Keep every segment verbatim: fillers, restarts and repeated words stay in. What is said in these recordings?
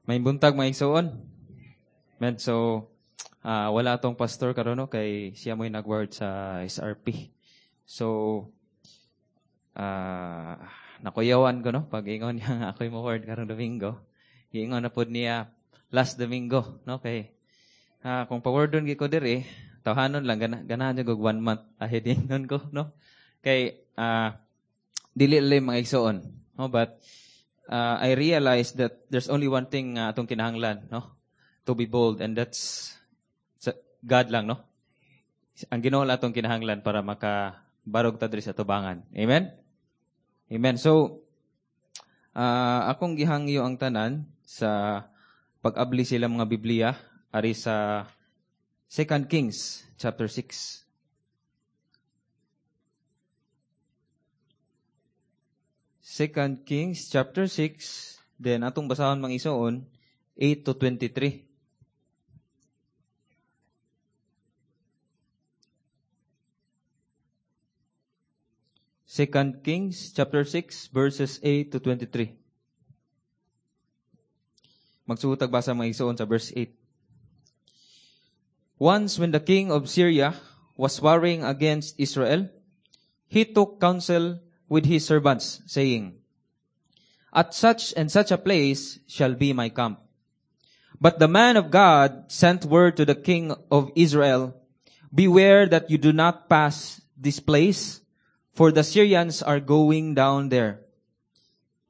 Maayong buntag mga igsuon. Man, so uh, wala atong pastor karon no kay siya mo'y nag-word sa SRP. So uh, nakuyawan ko no pag ingon niya nga ako'y mo word karong Domingo. Giingon na pod niya last Domingo no kay uh, kung pa-wordon gi ko diri tawhanon lang gana, ganahan jud og one month ahead ingon ko no. Kay uh, dili lang mga igsuon no but uh, I realized that there's only one thing uh, atong kinahanglan, no? To be bold, and that's God lang, no? Ang Ginoo lang atong kinahanglan para makabarog ta diri sa tubangan. Amen? Amen. So, uh, akong gihangyo ang tanan sa pag-abli sila mga Biblia ari sa Second Kings chapter six. Second Kings chapter six, then atong basahon mga isuon, eight to twenty-three. Second Kings chapter six verses eight to twenty-three. Magsuot tag basa mga isuon sa verse eight. Once when the king of Syria was warring against Israel, he took counsel with his servants, saying, "At such and such a place shall be my camp." But the man of God sent word to the king of Israel, "Beware that you do not pass this place, for the Syrians are going down there."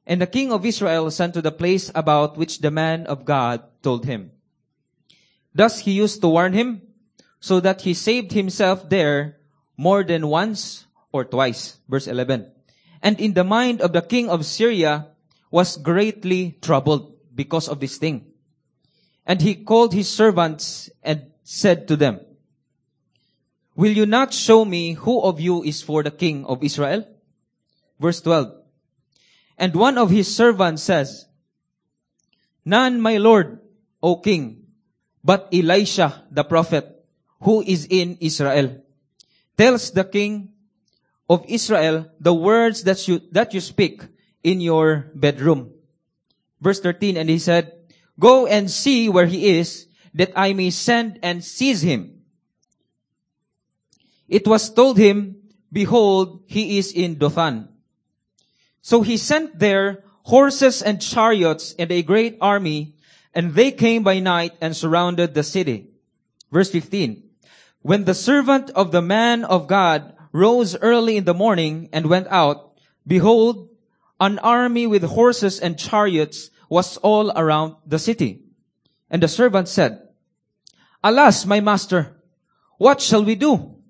And the king of Israel sent to the place about which the man of God told him. Thus he used to warn him, so that he saved himself there more than once or twice. Verse eleven. And in the mind of the king of Syria was greatly troubled because of this thing. And he called his servants and said to them, "Will you not show me who of you is for the king of Israel?" Verse twelve. And one of his servants says, "None, my lord, O king, but Elisha the prophet, who is in Israel, tells the king of Israel the words that you, that you speak in your bedroom." Verse thirteen, and he said, "Go and see where he is, that I may send and seize him." It was told him, "Behold, he is in Dothan." So he sent there horses and chariots and a great army, and they came by night and surrounded the city. Verse fifteen, when the servant of the man of God rose early in the morning and went out, behold, an army with horses and chariots was all around the city. And the servant said, "Alas, my master, what shall we do?"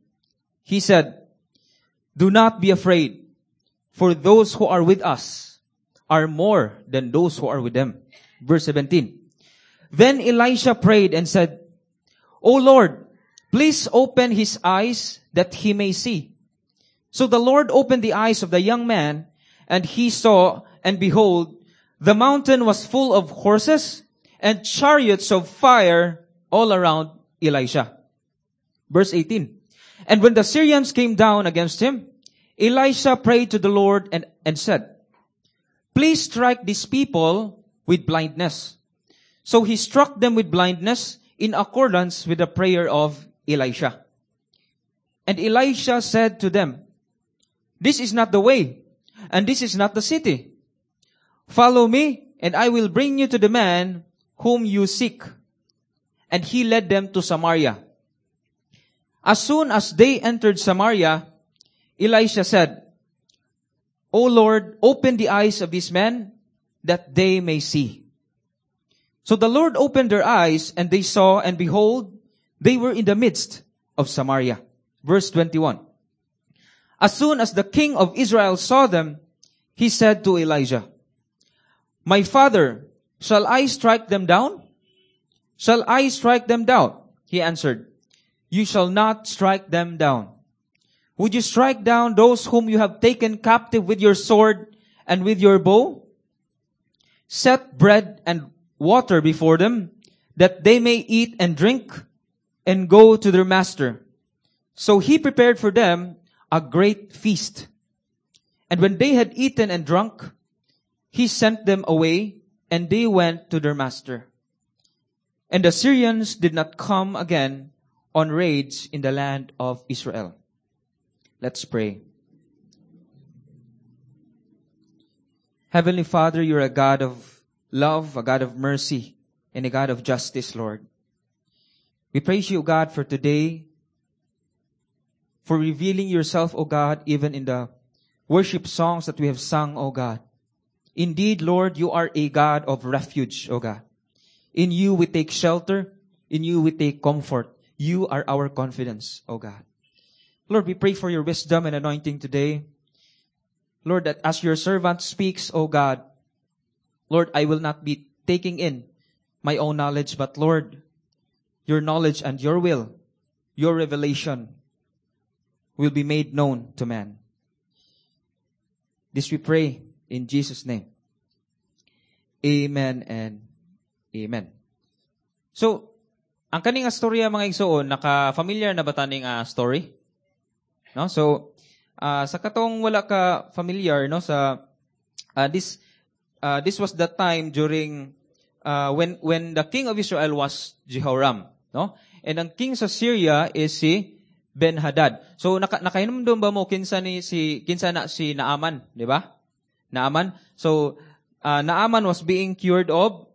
He said, "Do not be afraid, for those who are with us are more than those who are with them." Verse seventeen. Then Elisha prayed and said, "O Lord, please open his eyes that he may see." So the Lord opened the eyes of the young man, and he saw, and behold, the mountain was full of horses and chariots of fire all around Elisha. Verse eighteen. And when the Syrians came down against him, Elisha prayed to the Lord and, and said, "Please strike these people with blindness." So he struck them with blindness in accordance with the prayer of Elisha. And Elisha said to them, "This is not the way, and this is not the city. Follow me, and I will bring you to the man whom you seek." And he led them to Samaria. As soon as they entered Samaria, Elisha said, "O Lord, open the eyes of these men, that they may see." So the Lord opened their eyes, and they saw, and behold, they were in the midst of Samaria. Verse twenty-one. As soon as the king of Israel saw them, he said to Elijah, "My father, shall I strike them down? Shall I strike them down?" He answered, "You shall not strike them down. Would you strike down those whom you have taken captive with your sword and with your bow? Set bread and water before them, that they may eat and drink and go to their master." So he prepared for them a great feast. And when they had eaten and drunk, he sent them away, And they went to their master. And the Syrians did not come again on raids in the land of Israel. Let's pray. Heavenly Father, you're a God of love, a God of mercy, and a God of justice, Lord. We praise you, God, for today, for revealing yourself, O God, even in the worship songs that we have sung, O God. Indeed, Lord, you are a God of refuge, O God. In you we take shelter. In you we take comfort. You are our confidence, O God. Lord, we pray for your wisdom and anointing today. Lord, that as your servant speaks, O God, Lord, I will not be taking in my own knowledge, but Lord, your knowledge and your will, your revelation will be made known to man. This we pray in Jesus' name. Amen and amen. So, ang kaning storya mga igsoon, naka-familiar na ba taning uh, story? No? So, uh, sa katong wala ka familiar no sa uh, this uh, this was the time during uh, when when the king of Israel was Jehoram, no? And ang king sa Syria is si Ben-Hadad. So naka, nakahinumdum ba mo kinsa ni si kinsa na si Naaman, di ba? Naaman. So uh, Naaman was being cured of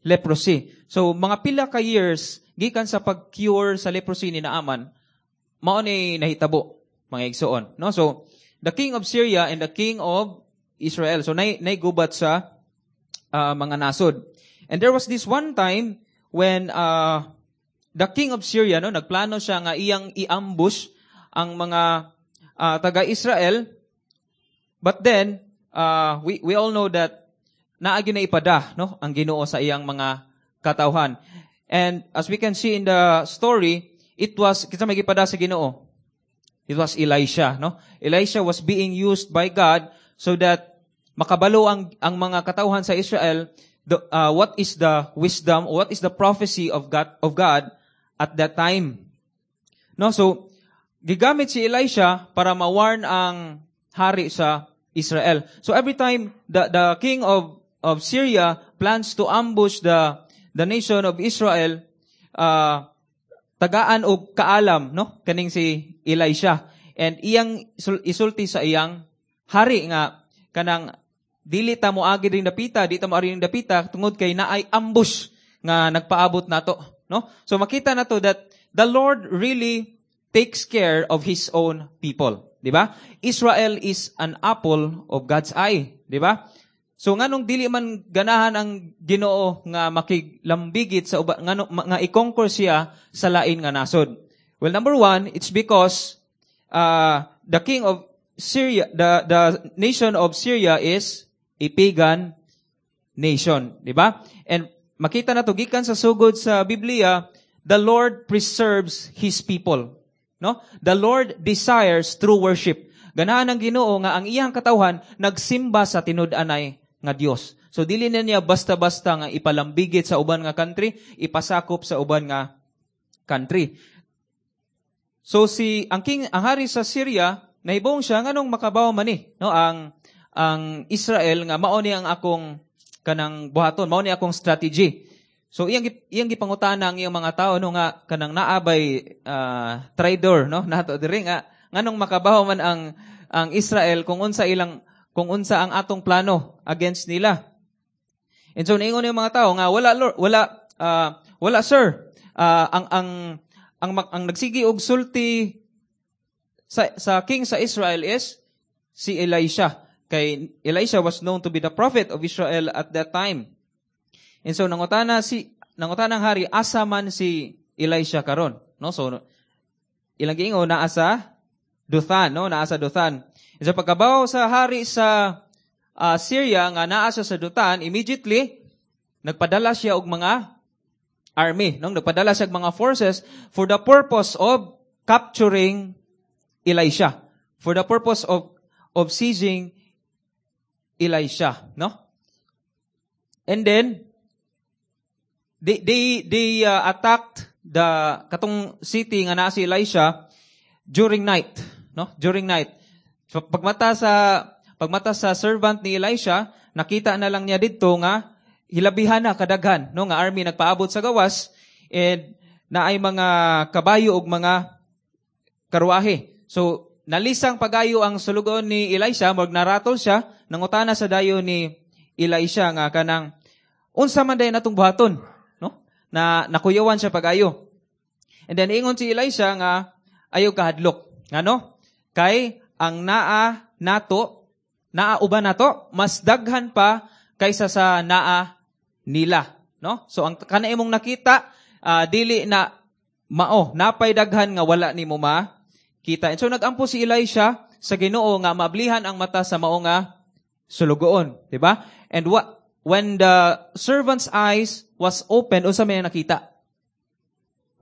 leprosy. So mga pila ka years gikan sa pag-cure sa leprosy ni Naaman, mao ni nahitabo mga igsoon, no? So the king of Syria and the king of Israel. So nay nay gubat sa uh, mga nasod. And there was this one time when uh, the king of Syria no nagplano siya nga iyang i-ambush ang mga uh, taga-Israel. But then uh, we we all know that naa na ipada no ang Ginoo sa iyang mga katawhan. And as we can see in the story, it was kinsa may gipada sa Ginoo. It was Elisha, no? Elisha was being used by God so that makabalo ang ang mga katawhan sa Israel the, uh, what is the wisdom or what is the prophecy of God of God at that time. No, so gigamit si Elisha para ma-warn ang hari sa Israel. So every time the the king of of Syria plans to ambush the the nation of Israel, uh, tagaan og kaalam no kaning si Elisha and iyang isulti sa iyang hari nga kanang dili ta moagi ring dapita di ta moari ring dapita tungod kay naay ambush nga nagpaabot nato no so makita nato that the Lord really takes care of his own people di ba Israel is an apple of God's eye di ba So nganong dili man ganahan ang Ginoo nga makiglambigit sa uba ngano nga i-conquer siya sa lain nga nasod. Well, number one, it's because uh, the king of Syria, the the nation of Syria is a pagan nation, di ba? And makita nato gikan sa sugod sa Biblia, the Lord preserves His people. No? The Lord desires true worship. Ganahan ang Ginoo nga ang iyang katawhan nagsimba sa tinud-anay nga Dios. So dili na niya basta-basta nga ipalambigit sa uban nga country, ipasakop sa uban nga country. So si ang king ang hari sa Syria nahibong siya nganong makabaw man ni no ang ang Israel nga mao ni ang akong kanang buhaton, mao ni akong strategy. So iyang iyang gipangutana ang iyang mga tao no nga kanang naabay uh, traidor no nato diri nga nganong makabaw man ang ang Israel kung unsa ilang kung unsa ang atong plano against nila. And so niingon yung mga tao nga wala Lord, wala uh, wala sir. Uh, ang ang ang ang nagsigi og sulti sa sa king sa Israel is si Elisha. Kay Elisha was known to be the prophet of Israel at that time. And so nangutana si nangutana ang hari asa man si Elisha karon, no? So ilang giingon naa sa Dothan, no? Naa sa Dothan. And so pagkabaw sa hari sa uh, Syria nga naa siya sa Dothan, immediately nagpadala siya og mga army, no? Nagpadala siya og mga forces for the purpose of capturing Elisha, for the purpose of of seizing Elisha, no? And then they they they uh, attacked the katong city nga naa si Elisha during night, no? During night. So pagmata sa pagmata sa servant ni Elisha, nakita na lang niya didto nga hilabihan na kadaghan, no, nga army nagpaabot sa gawas and naay mga kabayo ug mga karwahe. So nalisang pagayo ang sulugoon ni Elisha, murag naratol siya, nangutana sa dayon ni Elisha nga kanang unsa man dayon atong buhaton, no? Na nakuyawan siya pagayo. And then ingon si Elisha nga ayaw kahadlok. Ngano? Kay ang naa nato, naa uban nato, mas daghan pa kaysa sa naa nila, no? So ang kana imong nakita, uh, dili na mao, napay daghan nga wala nimo makita. And so nagampo si Elisha sa Ginoo nga maablihan ang mata sa mao nga sulugoon, di ba? And what when the servant's eyes was opened, unsa may nakita?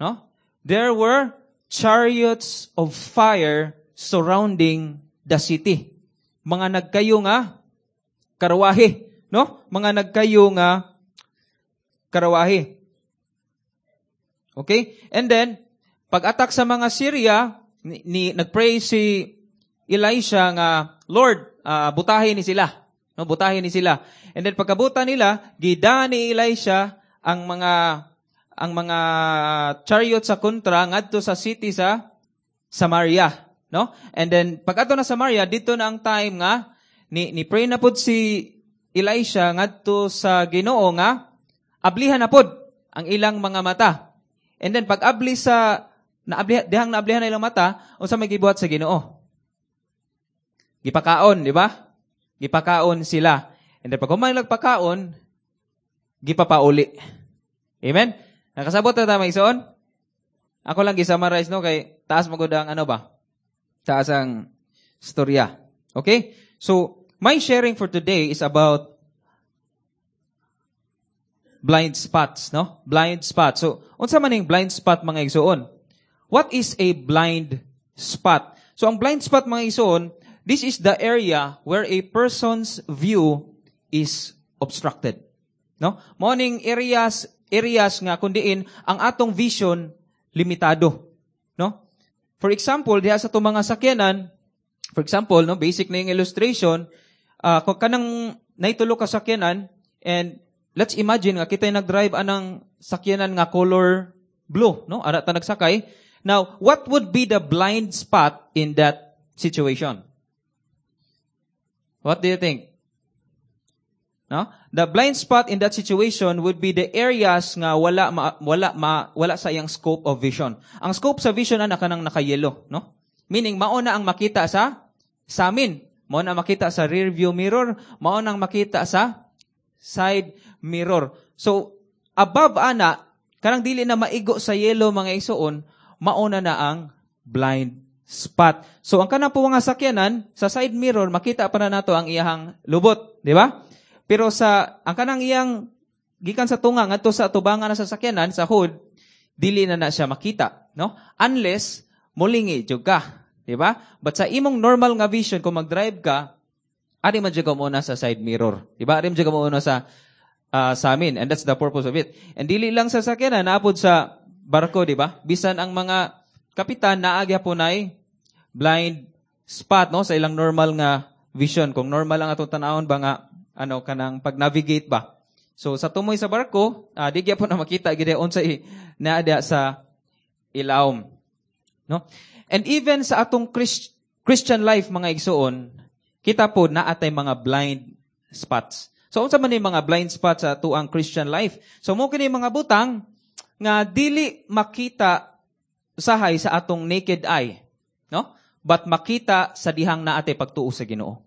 No? There were chariots of fire surrounding the city. Mga nagkayo nga karwahe, no? Mga nagkayo nga karwahe. Okay? And then, pag-attack sa mga Syria, ni, ni nagpray si Elisha nga, "Lord, uh, butahin ni sila." No, butahin ni sila. And then pagkabuta nila, gida ni Elisha ang mga ang mga chariot sa kontra ngadto sa city sa Samaria, no? And then pag ato na Samaria, dito na ang time nga ni ni pray na pod si Elisha ngadto sa Ginoo nga ablihan na pod ang ilang mga mata. And then pag abli sa naabli dihang naablihan na ilang mata, unsa may gibuhat sa Ginoo? Gipakaon, di ba? Gipakaon sila. And then pag human nagpakaon, gipapauli. Amen? Nakasabot na ta, mga igsoon? Ako lang gi-summarize, no, kay taas magud ang ano ba? Taas ang storya. Okay? So, my sharing for today is about blind spots, no? Blind spots. So, unsa man ning blind spot, mga igsoon? What is a blind spot? So, ang blind spot, mga igsoon, this is the area where a person's view is obstructed. No? Mao ning areas areas nga kun diin ang atong vision limitado, no? For example, diha sa atong mga sakyanan, for example, no, basic na yung illustration, uh, kung kanang naitulo ka sakyanan and let's imagine nga kita nag-drive anang sakyanan nga color blue, no? Ara ta nagsakay. Now, what would be the blind spot in that situation? What do you think? No? The blind spot in that situation would be the areas nga wala ma, wala ma, wala sa iyang scope of vision. Ang scope sa vision ana kanang naka-yellow, no? Meaning mao na ang makita sa samin, mao na makita sa rear view mirror, mao nang makita sa side mirror. So above ana, kanang dili na maigo sa yellow, mga igsoon, mao na na ang blind spot. So ang kanang po nga sakyanan sa side mirror, makita pa na nato ang iyahang lubot, di ba? Pero sa ang kanang iyang gikan sa tunga ngadto sa tubangan na sa sakyanan sa hood, dili na na siya makita, no? Unless mulingi jud ka, di ba? But sa imong normal nga vision, kung mag-drive ka, ari man jud ka muna sa side mirror, di ba? Ari man jud ka muna sa uh, sa amin, and that's the purpose of it. And dili lang sa sakyanan, naapod sa barko, di ba? Bisan ang mga kapitan naa gyapon nay blind spot, no, sa ilang normal nga vision. Kung normal lang atong tan-awon ba nga ano kanang pag-navigate ba. So sa tumoy sa barko, uh, di gyapon na makita gid unsa naa sa ilawom. No? And even sa atong Christ, Christian life, mga igsoon, kita po naa tay mga blind spots. So unsa man ni mga blind spots sa atuang Christian life? So mao kini mga butang nga dili makita usahay sa atong naked eye, no? But makita sa dihang naa tay pagtuo sa Ginoo.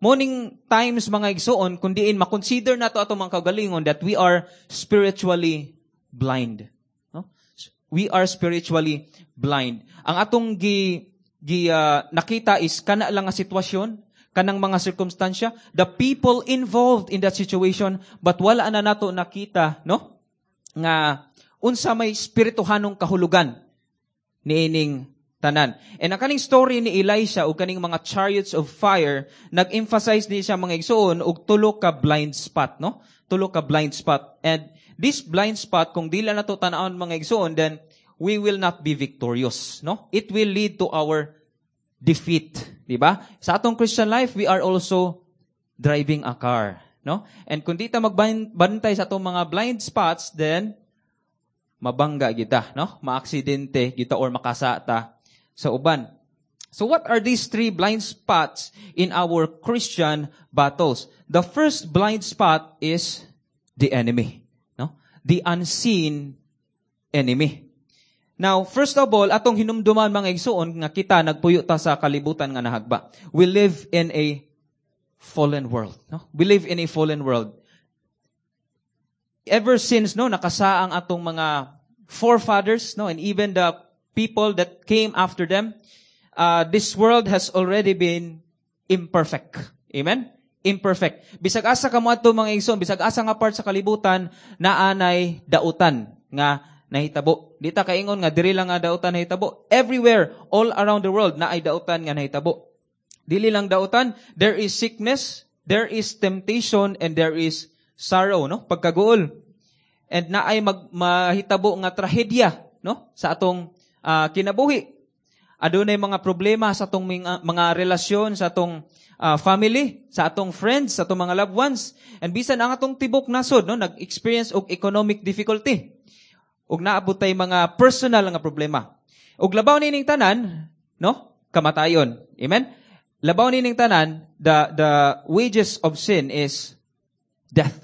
Mao ning times, mga igsoon, kun diin makonsider nato atong mga kaugalingon that we are spiritually blind. No? We are spiritually blind. Ang atong gi, gi uh, nakita is kana lang nga sitwasyon, kanang mga sirkumstansya, the people involved in that situation, but wala na nato nakita, no? Nga unsa may espirituhanong kahulugan niining tanan. And ang kaning story ni Elisha ug kaning mga chariots of fire, nag-emphasize ni siya, mga igsoon, og tulo ka blind spot, no? Tulo ka blind spot. And this blind spot, kung dili nato tan-awon, mga igsoon, then we will not be victorious, no? It will lead to our defeat, di ba? Sa atong Christian life, we are also driving a car, no? And kung di ta magbantay sa atong mga blind spots, then mabangga kita, no? Maaksidente kita or makasata sa uban. So what are these three blind spots in our Christian battles? The first blind spot is the enemy, no? The unseen enemy. Now, first of all, atong hinumduman mga igsuon nga kita nagpuyo ta sa kalibutan nga nahagba. We live in a fallen world, no? We live in a fallen world. Ever since no nakasaang atong mga forefathers, no, and even the people that came after them, uh, this world has already been imperfect. Amen? Imperfect. Bisag asa ka moadto mga igsoon, bisag asa nga part sa kalibutan, naanay dautan nga nahitabo. Di ta kaingon nga diri lang nga dautan nahitabo. Everywhere, all around the world, naay dautan nga nahitabo. Dili lang dautan, there is sickness, there is temptation, and there is sorrow, no? Pagkaguol. And naay mag, mahitabo nga trahedya, no? Sa atong uh, kinabuhi. Adunay mga problema sa atong mga, mga relasyon, sa atong uh, family, sa atong friends, sa atong mga loved ones. And bisan ang atong tibok nasod, no, nag-experience og economic difficulty. Ug naabot tay mga personal nga problema. Ug labaw nining tanan, no? Kamatayon. Amen? Labaw nining tanan, the the wages of sin is death.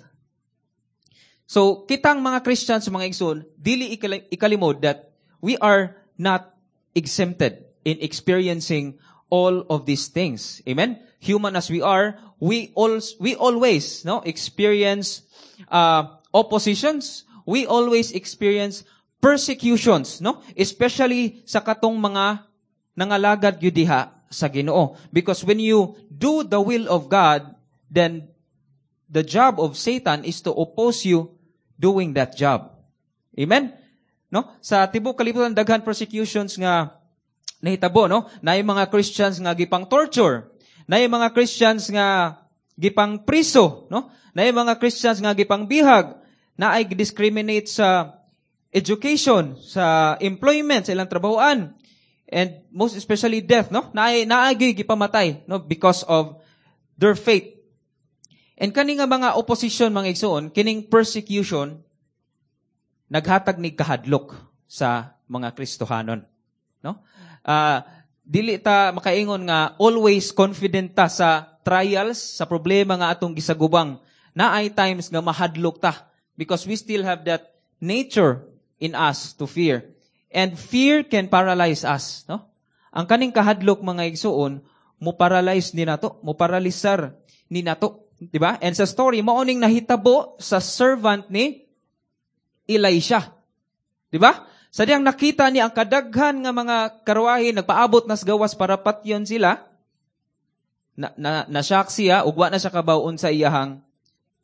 So, kitang mga Christians, mga igsoon, dili ikalimod that we are not exempted in experiencing all of these things. Amen? Human as we are, we all, we always, no, experience uh, oppositions. We always experience persecutions, no? Especially sa katong mga nangalagad gyud diha sa Ginoo. Because when you do the will of God, then the job of Satan is to oppose you doing that job. Amen? No? Sa tibok kalibutan daghan persecutions nga nahitabo, no? Naay mga Christians nga gipang torture. Naay mga Christians nga gipang priso, no? Naay mga Christians nga gipang bihag. Naay discriminate sa education, sa employment, sa ilang trabahoan. And most especially death, no? Naay naay gipamatay, no? Because of their faith. And kani nga mga opposition mga igsoon, kining persecution naghatag ni kahadlok sa mga Kristohanon, no? Uh, dili ta makaingon nga always confident ta sa trials, sa problema nga atong gisagubang. Naay times nga mahadlok ta because we still have that nature in us to fear. And fear can paralyze us, no? Ang kaning kahadlok mga igsoon, mo paralyze ni nato, mo paralisar ni nato, di ba? And sa story, mao ning nahitabo sa servant ni Elisha. Di ba? Sa diyang nakita niya ang kadaghan nga mga karwahe nagpaabot nas gawas para patyon sila, na, na, na-shock siya, ug wa na siya kabaw unsa iyahang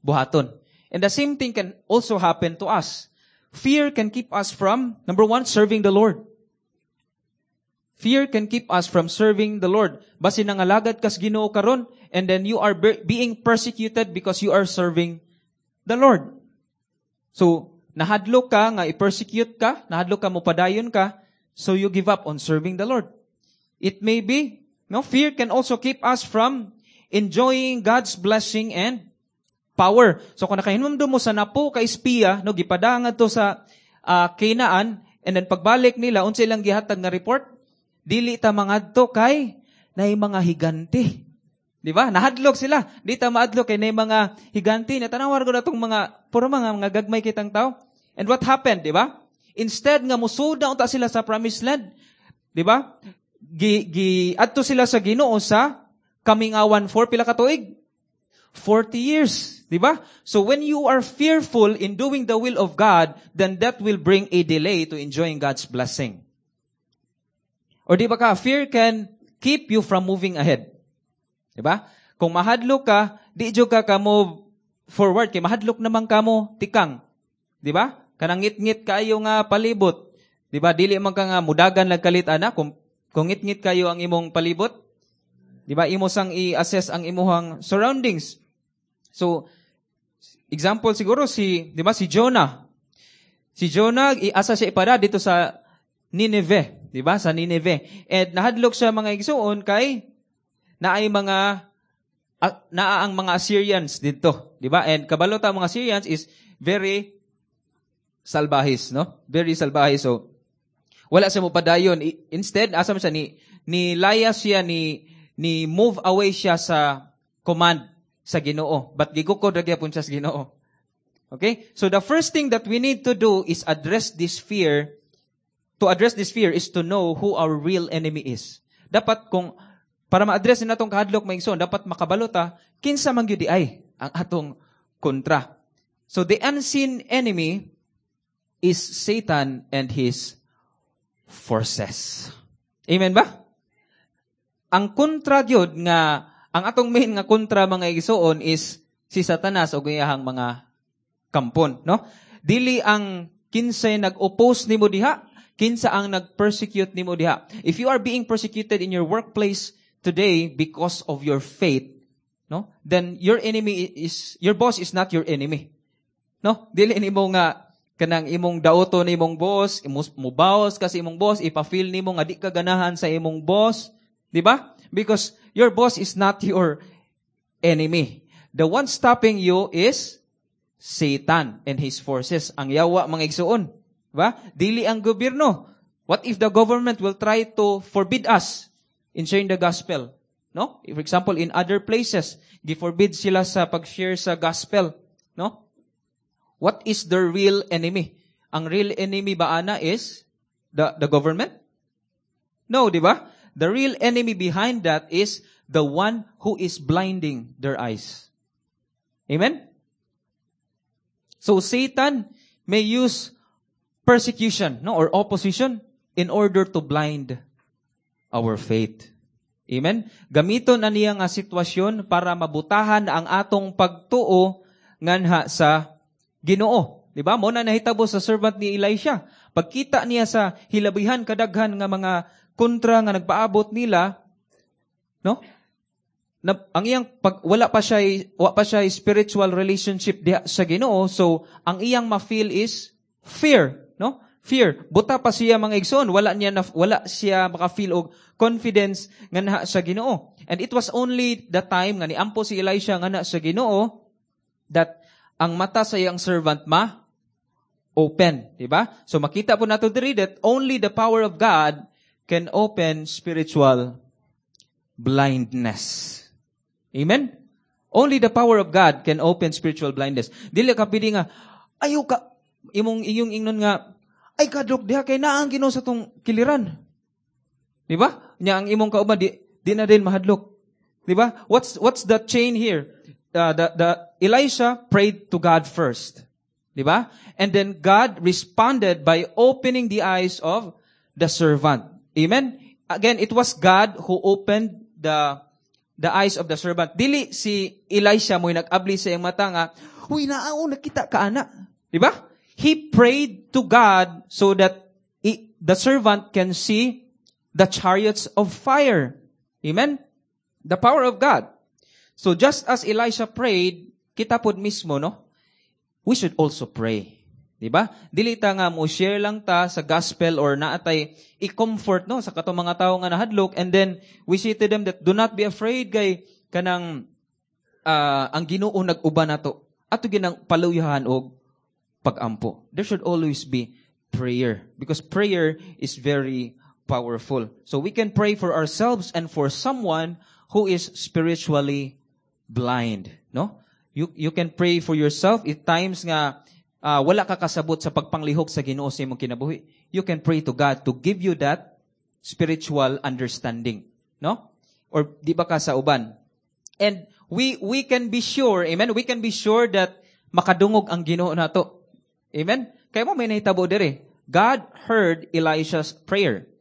buhaton. And the same thing can also happen to us. Fear can keep us from, number one, serving the Lord. Fear can keep us from serving the Lord. Basin nangalagad kas Ginoo karon, and then you are being persecuted because you are serving the Lord. So, nahadlok ka nga i-persecute ka, nahadlok ka mopadayon ka, so you give up on serving the Lord. It may be, no, fear can also keep us from enjoying God's blessing and power. So kung nakahinumdum mo sa napo ka espiya, no, gipadanga to sa uh, Canaan, and then pagbalik nila, unsa ilang gihatag nga report? Dili ta mangadto kay naay mga higante. Di ba? Nahadlok sila. Di ta maadlok kay naay mga higante. Natanawar ko na itong mga, puro mga, mga gagmay kitang tao. And what happened, di ba? Instead nga musulod na unta sila sa promised land, di ba? Gi, gi adto sila sa Ginoo sa kamingawan for pila ka tuig? forty years, di ba? So when you are fearful in doing the will of God, then that will bring a delay to enjoying God's blessing. Or di ba ka, fear can keep you from moving ahead. Di ba? Kung mahadlok ka, di jud ka ka move forward. Kay mahadlok naman ka mo, tikang. Di ba? Kanang ngit-ngit kayo nga palibot. Di ba? Dili man ka nga mudagan nagkalit ana kung kung ngit-ngit kayo ang imong palibot. Di ba? Imo sang i-assess ang imuhang surroundings. So, example siguro si, di ba, si Jonah. Si Jonah, iasa siya ipada dito sa Nineveh, di ba? Sa Nineveh. And nahadlok siya mga igsuon kay naay mga uh, naa ang mga Assyrians didto, di ba? And kabalo ta mga Assyrians is very salbahis, no? Very salbahis. So wala siya mo padayon. Instead, asa man siya ni ni layas siya ni ni move away siya sa command sa Ginoo. But gigukod ra gyapon siya sa Ginoo. Okay? So the first thing that we need to do is address this fear. To address this fear is to know who our real enemy is. Dapat kung para ma-address na natong kahadlok mga igsoon, dapat makabalo ta kinsa man gyud ay ang atong kontra. So the unseen enemy is Satan and his forces. Amen ba? Ang kontra gyud nga ang atong main nga kontra mga igsoon is si Satanas ug iyahang mga kampon, no? Dili ang kinsay nag-oppose nimo diha, kinsa ang nag-persecute nimo diha. If you are being persecuted in your workplace today because of your faith, no? Then your enemy is your boss is not your enemy. No? Dili nimo nga kanang imong dauto nimong boss, mubawas ka sa imong boss, ipa-feel nimo nga di ka ganahan sa imong boss, di ba? Because your boss is not your enemy. The one stopping you is Satan and his forces. Ang yawa mga igsuon. Ba? Dili ang gobyerno. What if the government will try to forbid us in sharing the gospel? No? For example, in other places, gi-forbid sila sa pag-share sa gospel. No? What is the real enemy? Ang real enemy ba ana is the, the government? No, di ba? The real enemy behind that is the one who is blinding their eyes. Amen? So Satan may use persecution, no, or opposition in order to blind our faith. Amen? Gamiton na niya nga sitwasyon para mabutahan ang atong pagtuo nganha sa Ginoo. Di ba? Mao na nahitabo sa servant ni Elisha. Pagkita niya sa hilabihan kadaghan nga mga kontra nga nagpaabot nila, no? Na, ang iyang pag wala pa siya wa pa siya spiritual relationship diha sa Ginoo, so ang iyang ma-feel is fear, no? Fear. Buta pa siya mga igsoon, wala niya na, wala siya maka-feel og confidence nganha sa Ginoo. And it was only the time nga niampo si Elisha nganha sa Ginoo that ang mata sa iyang servant ma open, di ba? So makita po nato diri that only the power of God can open spiritual blindness. Amen? Only the power of God can open spiritual blindness. Dili ka pwede nga, ayaw ka, imong iyong ingnon nga, ay kadlok diha kay naa ang Ginoo sa tong kiliran. Di ba? Nya ang imong kauban di, di na din mahadlok. Di ba? What's what's the chain here? Uh, the the Elisha prayed to God first. Di ba? And then God responded by opening the eyes of the servant. Amen? Again, it was God who opened the the eyes of the servant. Dili si Elisha mo'y nag-abli sa iyang mata nga, Huy, naa nakita ka ana. Di ba? He prayed to God so that the servant can see the chariots of fire. Amen? The power of God. So just as Elisha prayed, kita pod mismo, no? We should also pray. Di ba? Dili ta nga mo share lang ta sa gospel or naatay i-comfort no sa katong mga tawo nga nahadlok and then we say to them that do not be afraid kay kanang uh, ang Ginoo nag-uban nato. Ato ginang paluyahan og pagampo. There should always be prayer because prayer is very powerful. So we can pray for ourselves and for someone who is spiritually blind, no? You you can pray for yourself if times nga uh, wala ka kasabot sa pagpanglihok sa Ginoo sa imong kinabuhi. You can pray to God to give you that spiritual understanding, no? Or di ba ka sa uban? And we we can be sure, amen, we can be sure that makadungog ang Ginoo nato. Amen? Kaya mao may nahitabo diri. God heard Elisha's prayer.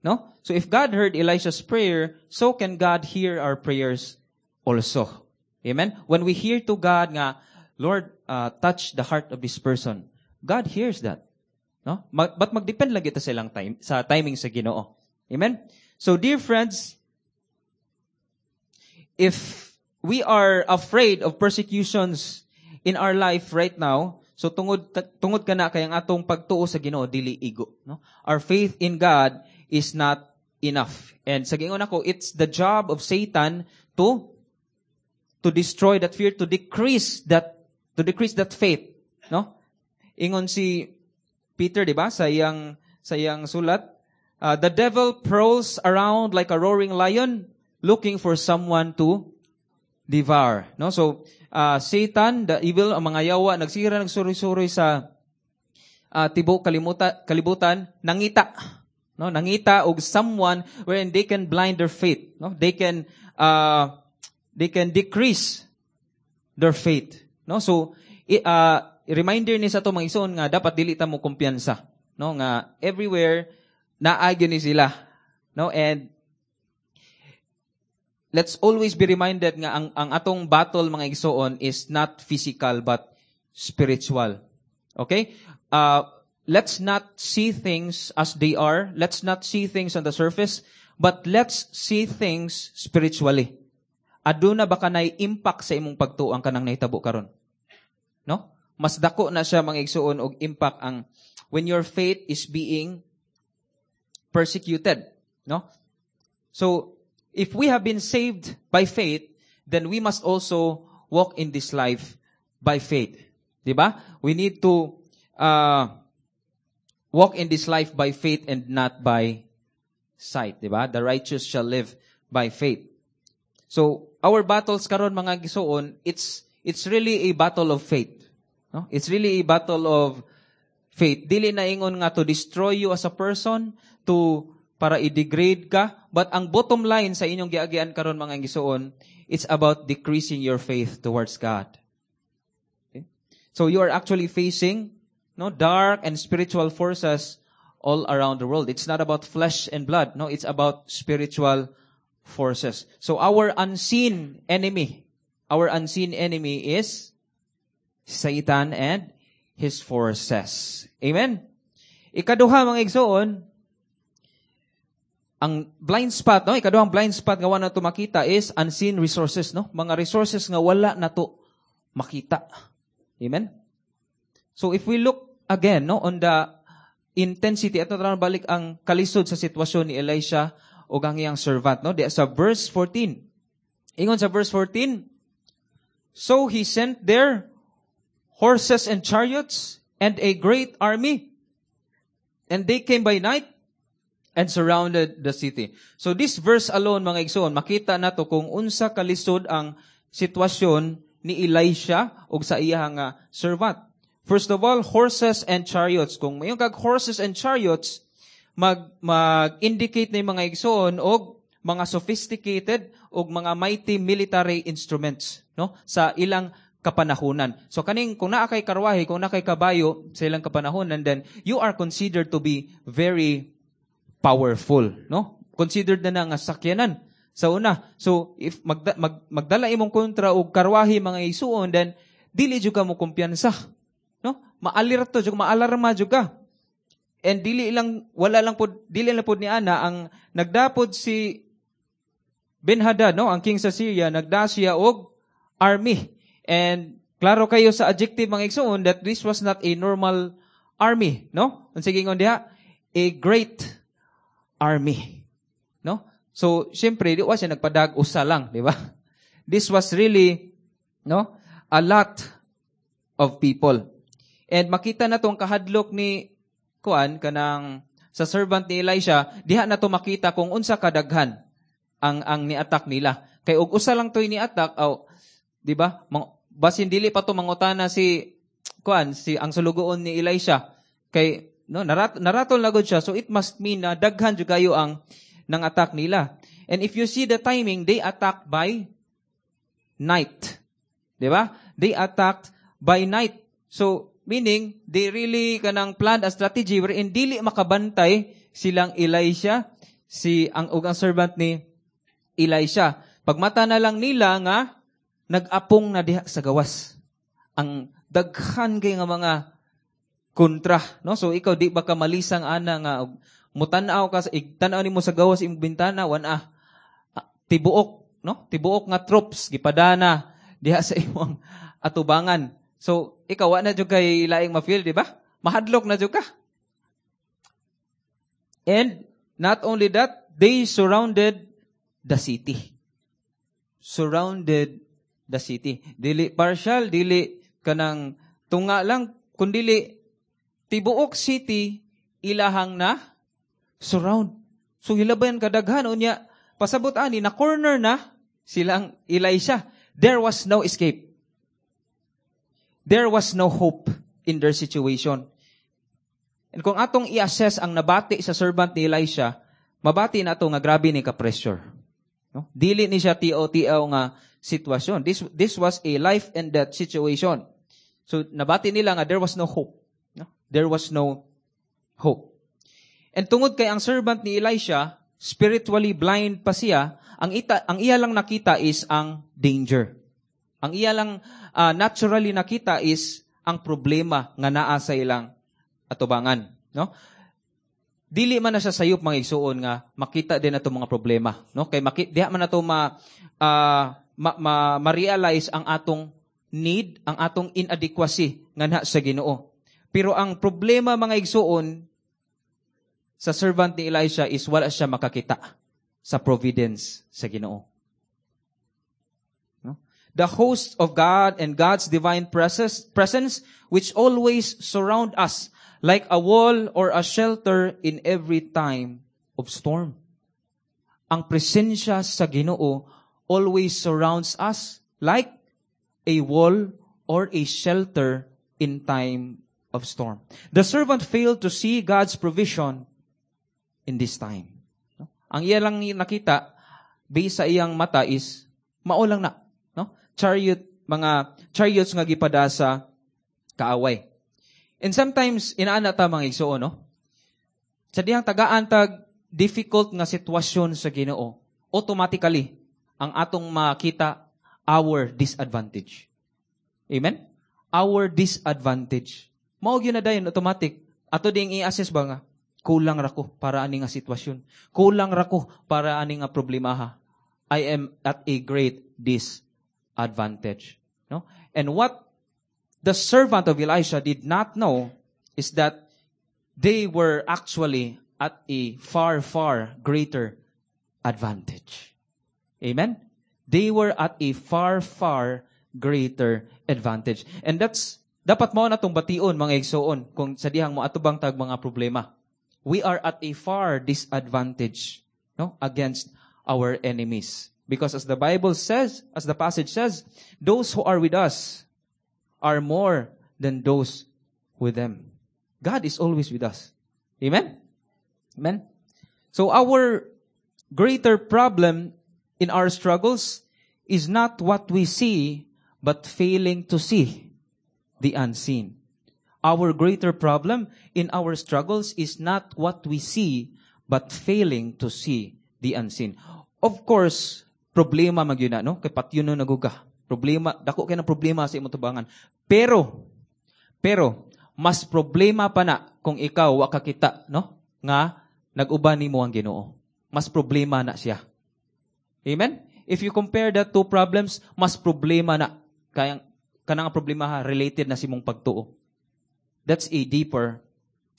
No? So if God heard Elisha's prayer, so can God hear our prayers also. Amen? When we hear to God nga, Lord, uh, touch the heart of this person, God hears that. No? Mag, but magdepend lang kita sa ilang time, sa timing sa Ginoo. Amen? So dear friends, if we are afraid of persecutions in our life right now, so tungod tungod kana kay ang atong pagtuo sa Ginoo dili igo, no? Our faith in God is not enough. And sa giingon ako, it's the job of Satan to to destroy that fear, to decrease that to decrease that faith, no? Ingon si Peter, di ba, sa iyang sa iyang sulat, uh, the devil prowls around like a roaring lion looking for someone to devour, no? So, uh, Satan, the evil, ang mga yawa nagsira nagsuroy-suroy sa uh, tibuok kalimuta, kalibutan, nangita, no? Nangita og someone wherein they can blind their faith, no? They can uh, they can decrease their faith, no? So, i- uh, reminder ni sa ato mga igsoon nga dapat dili ta mo kumpiyansa, no? Nga everywhere naa gyud ni sila, no? And let's always be reminded nga ang ang atong battle mga igsoon is not physical but spiritual. Okay? Uh, let's not see things as they are. Let's not see things on the surface, but let's see things spiritually. Aduna ba kanay impact sa imong pagtuo ang kanang nahitabo karon? No? Mas dako na siya mga igsoon og impact ang when your faith is being persecuted, no? So, if we have been saved by faith, then we must also walk in this life by faith. Di ba? We need to uh, walk in this life by faith and not by sight. Di ba? The righteous shall live by faith. So, our battles karon mga igsoon, it's it's really a battle of faith. No? It's really a battle of faith. Dili na ingon nga to destroy you as a person, to para i-degrade ka, but ang bottom line sa inyong giagian karon mga igsoon, it's about decreasing your faith towards God. Okay? So you are actually facing no dark and spiritual forces all around the world. It's not about flesh and blood, no, it's about spiritual forces. So our unseen enemy, our unseen enemy is Satan and his forces. Amen? Ikaduha mga igsoon, ang blind spot, no? Ikaduhang blind spot nga wala nato makita is unseen resources, no? Mga resources nga wala nato makita. Amen? So if we look again, no, on the intensity, ato na balik ang kalisod sa sitwasyon ni Elisha o ang iyang servant, no? Di sa verse fourteen. Ingon sa verse fourteen, "So he sent there horses and chariots and a great army. And they came by night and surrounded the city." So this verse alone, mga igsoon, makita nato kung unsa kalisod ang sitwasyon ni Elisha ug sa iyang nga servant. First of all, horses and chariots. Kung moingon kag horses and chariots, mag mag-indicate na yung mga igsoon og mga sophisticated og mga mighty military instruments, no, sa ilang kapanahunan. So kaning kung naa kay karwahe, kung naa kay kabayo sa ilang kapanahunan, then you are considered to be very powerful, no? Considered na na nga sakyanan sa una. So if magda, mag, magdala imong kontra og karwahe mga igsuon, then dili jud ka mo kumpiyansa, no? Maalerto jud, maalarma jud ka. And dili lang wala lang pod dili lang pod ni ana ang nagdapod si Ben-Hadad, no, ang king sa Syria, nagda siya og army. And klaro kayo sa adjective mga igsoon that this was not a normal army, no? Ang sige ingon diha, a great army. No? So, syempre, di wa siya nagpadag usa lang, di ba? This was really, no, a lot of people. And makita na tong kahadlok ni kuan kanang sa servant ni Elisha, diha na to makita kung unsa kadaghan ang ang ni-attack nila. Kay og usa lang to'y ni-attack, aw, di ba? Mang, basin dili pa to mangutana si kuan si ang sulugoon ni Elisha kay no narat, naratol na gud siya so it must mean na daghan jud kayo ang nang attack nila. And if you see the timing, they attack by night. Di ba? They attacked by night. So, meaning, they really kanang planned a strategy wherein dili makabantay silang Elisha, si ang ug ang servant ni Elisha. Pagmata na lang nila nga nag-apong na diha sa gawas. Ang daghan kay nga mga kontra, no? So ikaw di ba ka malisang ana nga mutan-aw ka sa tan-aw nimo sa gawas imong bintana wan ah, tibuok, no? Tibuok nga troops gipadana diha sa imong atubangan. So ikaw wa na jud kay laing ma-feel, di ba? Mahadlok na jud ka. And not only that, they surrounded the city. Surrounded the city. Dili partial, dili kanang tunga lang, kundili tibuok city ilahang na surround. So hilabayan kadaghan unya pasabot ani na corner na silang Elisha. There was no escape. There was no hope in their situation. And kung atong i-assess ang nabati sa servant ni Elisha, mabati nato nga grabe ni ka-pressure. No? Dili ni siya tiaw-tiaw nga sitwasyon. This, this was a life and death situation. So nabati nila nga there was no hope. No? There was no hope. And tungod kay ang servant ni Elisha, spiritually blind pa siya, ang ita, ang iya lang nakita is ang danger. Ang iya lang uh, naturally nakita is ang problema nga naa sa ilang atubangan, no? Dili man na siya sayop mga igsuon nga makita din ato mga problema, no? Kay maki, diha man nato ma, uh, ma, ma, ma-realize ang atong need, ang atong inadequacy nganha sa Ginoo. Pero ang problema mga igsuon sa servant ni Elisha is wala siya makakita sa providence sa Ginoo. No? The host of God and God's divine presence, presence which always surround us like a wall or a shelter in every time of storm. Ang presensya sa Ginoo always surrounds us like a wall or a shelter in time of storm. The servant failed to see God's provision in this time. Ang iya lang nakita, based sa iyang mata is, mao lang na. No? Chariot, mga chariots nga gipada sa kaaway. And sometimes, inaana ta mga igsuon, no? Sa dihang tagaan tag difficult nga sitwasyon sa Ginoo, automatically, ang atong makita, our disadvantage. Amen? Our disadvantage. Mao gyud na dayon automatic. Ato ding i-assess ba nga kulang ra ko para ani nga sitwasyon. Kulang ra ko para ani nga problemaha. I am at a great disadvantage. No? And what the servant of Elisha did not know is that they were actually at a far, far greater advantage. Amen? They were at a far, far greater advantage. And that's, dapat mao na tong bation, mga igsoon, kung sa dihang mo atubang tag mga problema. We are at a far disadvantage no, against our enemies. Because as the Bible says, as the passage says, those who are with us are more than those with them. God is always with us. Amen? Amen? So our greater problem in our struggles is not what we see, but failing to see the unseen. Our greater problem in our struggles is not what we see, but failing to see the unseen. Of course, problema magyud na, no? Kay patyon no naguga. Problema, dako kay ng problema sa imong tubangan. Pero, pero, mas problema pa na kung ikaw wa ka kita, no? Nga nag-uban nimo ang Ginoo. Mas problema na siya. Amen? If you compare that two problems, mas problema na. Kaya kanang problema ha, related na sa imong pagtuo. That's a deeper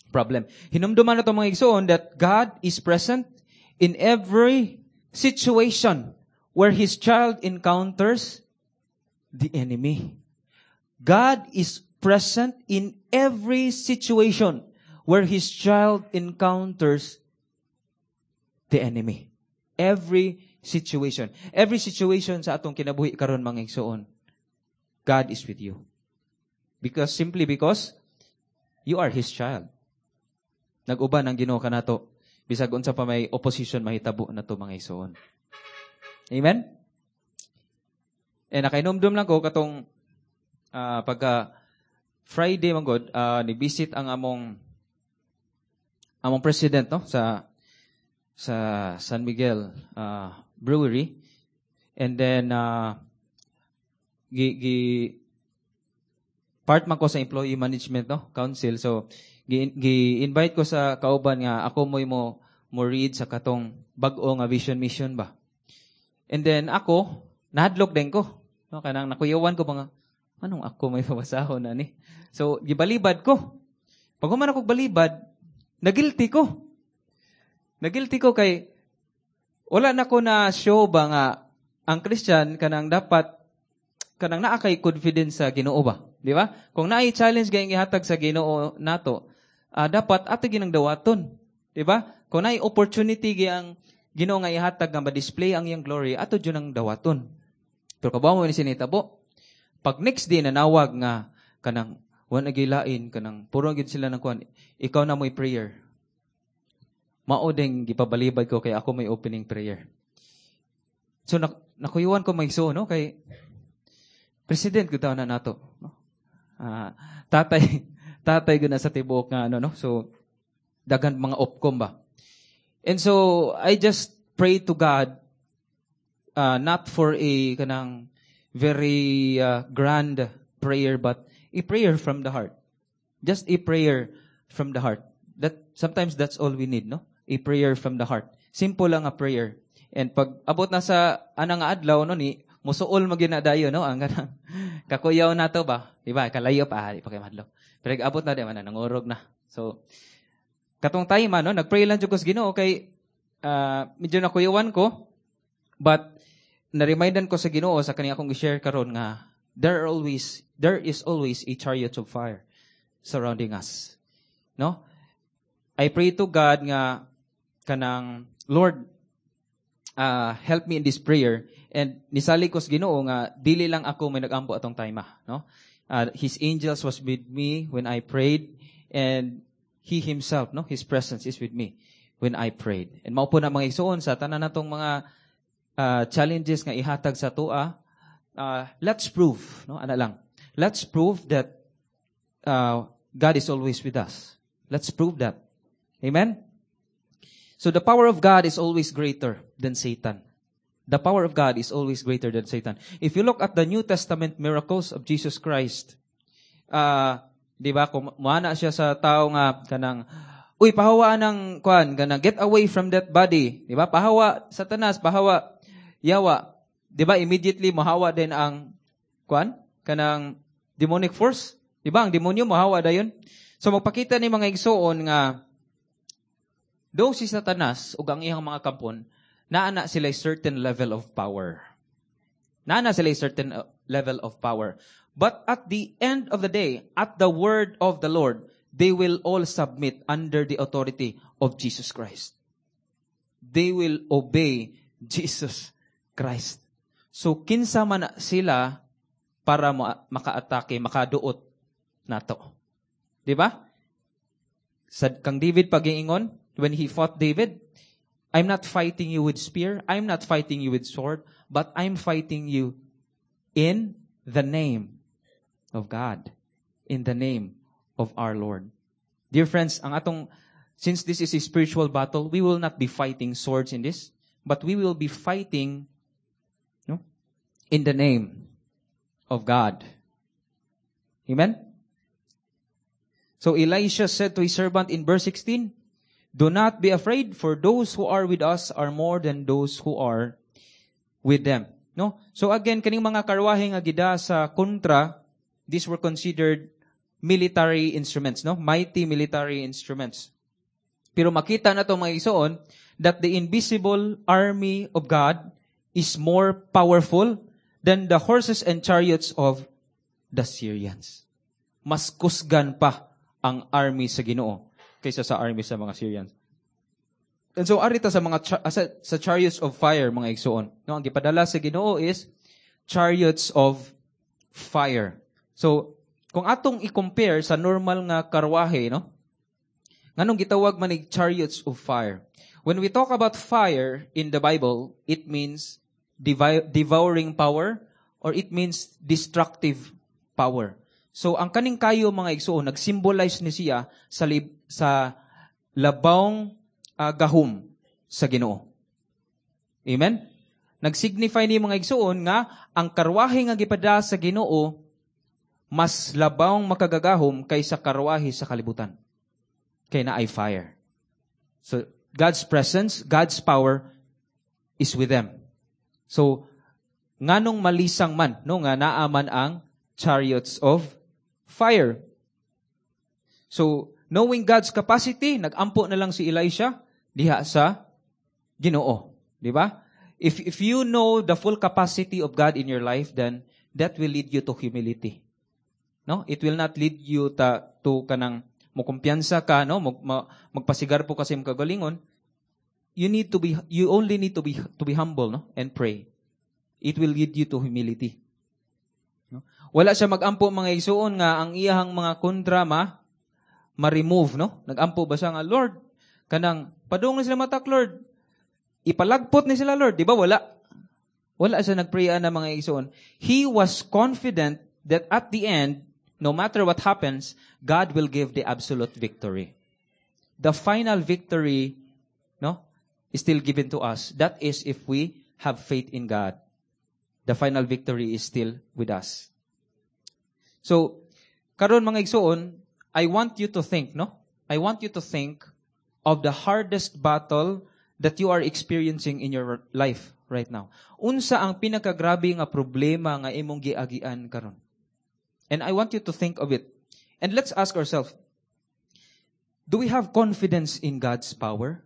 problem. Hinumduman nato mga igsoon that God is present in every situation where His child encounters the enemy. God is present in every situation where His child encounters the enemy. Every situation. Every situation sa atong kinabuhi karon mga igsoon, God is with you. Because simply because you are His child. Nag-uban ang Ginoo kanato bisag unsa pa may opposition mahitabo nato mga igsoon. Amen? Eh nakainumdum lang ko katong uh, pagka Friday man god uh, ni-visit ang among among president no sa sa San Miguel uh, Brewery and then uh, gi, gi part man ko sa employee management no council so gi, gi-invite ko sa kauban nga ako mo'y mo mo read sa katong bag-o nga vision mission ba and then ako nahadlok din ko no kanang nakuyawan ko ba nga anong ako may pabasahon ani so gibalibad ko pag human ako balibad nagilty ko nagilty ko kay wala na ko na show ba nga ang Christian kanang dapat kanang naa kay confidence sa Ginoo ba, di ba? Kung naay challenge gayong ihatag sa Ginoo nato, uh, dapat ato ginang dawaton, di ba? Kung naay opportunity giyang Ginoo nga ihatag nga ma-display ang iyang glory, ato jud ang dawaton. Pero kabaw mo ni sinitabo. Pag next day nanawag nga kanang wa na gilain kanang puro gid sila ng kuan, ikaw na mo'y prayer. Mao ding gipabalibad ko kay ako may opening prayer. So nak nakuyuan ko may so no kay president gud na nato, no? Uh, tatay tatay gud na sa tibuok nga ano no. So daghan mga opcom ba. And so I just pray to God uh, not for a kanang very uh, grand prayer but a prayer from the heart. Just a prayer from the heart. That sometimes that's all we need, no? A prayer from the heart. Simple lang a prayer. And pag abot na sa anang adlaw no ni musuol magyud na dayon no ang kanang kakuyaw na to ba? Di ba? Kalayo pa, di pa kay madlo. Pero abot na di man nangurog na. So katong time no, nagpray lang jud ko sa Ginoo kay uh, medyo nakuyawan ko but na-remindan ko sa Ginoo sa kaniya akong i-share karon nga there are always there is always a chariot of fire surrounding us. No? I pray to God nga kanang Lord uh, help me in this prayer and nisalig ko sa Ginoo nga dili lang ako may nagampo atong time no uh, his angels was with me when I prayed and he himself no his presence is with me when I prayed and mao po na mga igsuon sa tanan natong mga uh, challenges nga ihatag sa atoa uh, let's prove no ana lang let's prove that uh, God is always with us let's prove that amen So the power of God is always greater than Satan. The power of God is always greater than Satan. If you look at the New Testament miracles of Jesus Christ, uh, di ba, kung muana siya sa tao nga kanang uy pahawa ng kuan kanang get away from that body, di ba? Pahawa Satanas, pahawa yawa. Di ba immediately mohawa din ang kuan kanang demonic force? Di ba? Ang demonyo mohawa dayon. So magpakita ni mga igsuon nga Though si Satanas ug ang iyang mga kampon, naa na sila certain level of power. Naa na sila certain uh, level of power. But at the end of the day, at the word of the Lord, they will all submit under the authority of Jesus Christ. They will obey Jesus Christ. So kinsa man sila para makaatake, makaduot nato. Di ba? Sa kang David pagiingon, when he fought David, I'm not fighting you with spear, I'm not fighting you with sword, but I'm fighting you in the name of God, in the name of our Lord. Dear friends, ang atong since this is a spiritual battle, we will not be fighting swords in this, but we will be fighting no, in the name of God. Amen? So Elisha said to his servant in verse sixteen, Do not be afraid, for those who are with us are more than those who are with them. No? So again, kaning mga karwahe nga gida sa kontra, these were considered military instruments, no? Mighty military instruments. Pero makita na to mga igsoon that the invisible army of God is more powerful than the horses and chariots of the Syrians. Mas kusgan pa ang army sa Ginoo kaysa sa army sa mga Syrians. And so arita sa mga cha- sa, sa chariots of fire mga igsoon. No, ang gipadala sa Ginoo is chariots of fire. So kung atong i-compare sa normal nga karwahe, no? Nganong gitawag man ig chariots of fire? When we talk about fire in the Bible, it means devi- devouring power or it means destructive power. So ang kaning kayo mga igsoon nagsymbolize ni siya sa lib, sa labawng uh, gahom sa Ginoo. Amen? Nagsignify ni mga igsoon nga ang karwahe nga gipada sa Ginoo mas labawng makagagahom kaysa karwahe sa kalibutan. Kay naay fire. So God's presence, God's power is with them. So nganong malisang man no nga naa man ang chariots of fire. So, knowing God's capacity, nagampo na lang si Elisha diha sa Ginoo, di ba? If if you know the full capacity of God in your life, then that will lead you to humility. No? It will not lead you ta, to kanang mokumpiyansa ka, no? Mag, ma, magpasigarbo ka sa imong kagalingon. You need to be you only need to be to be humble, no? And pray. It will lead you to humility. No? Wala siya magampo mga igsuon nga ang iyahang mga kontra ma ma-remove, no? Nagampo ba siya nga Lord kanang padung ni sila matak Lord. Ipalagpot ni sila Lord, di ba? Wala. Wala siya nagpray na mga igsuon. He was confident that at the end, no matter what happens, God will give the absolute victory. The final victory, no, is still given to us. That is if we have faith in God. The final victory is still with us. So, karon mga igsuon, I want you to think, no? I want you to think of the hardest battle that you are experiencing in your life right now. Unsa ang pinakagrabe nga problema nga imong giagian karon? And I want you to think of it. And let's ask ourselves, do we have confidence in God's power?